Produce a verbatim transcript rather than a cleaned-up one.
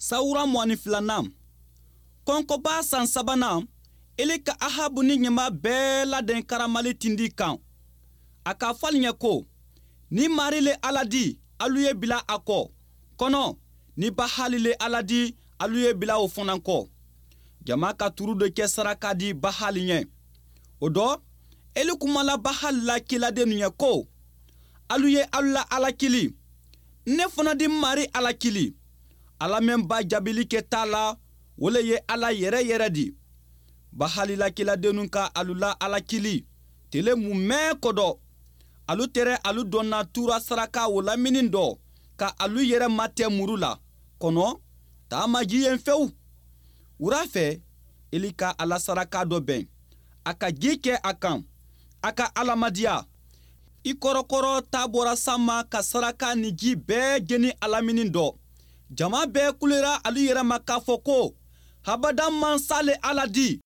Sawura mugan ni filanan, kɔnkɔba san sabanan, Eli ka Ahabu ni ɲama bɛɛ ladɛn Karamali tindi kan. A k'a fɔ alu ɲɛ ko: "Ni Mari le Ala di, alu ye bila a kɔ. Kɔnɔ ni Bahali le Ala di, alu ye bila o fana kɔ." Jama ka turu dɔ kɛ saraka di Bahali ɲɛ. O dɔ, Eli kumala Bahali la kiladennu ɲɛ ko: "Alu ye alu la Ala kili, ne fana di Mari Ala kili. Ala mɛn ba jaabili kɛ t'a la, o le ye Ala yɛrɛ yɛrɛ di." Bahali la kiladennu ka alu la Ala kili tele mumɛ kɔdɔ. Alu tɛrɛ alu dɔnna tura saraka o lamini dɔ ka alu yɛrɛ matɛ muru la, kɔnɔ taa ma ji yen fewu. Wura fɛ, Eli ka Ala saraka dɔ bɛn, a ka ji kɛ a kan, a ka Alamadiya. I kɔrɔkɔrɔ ta bɔra sanma ka saraka ni ji bɛɛ jeni alamini dɔ. Jama bɛɛ kulera alu yɛrɛ ma k'a fɔ ko: "Habada mansa le Ala di."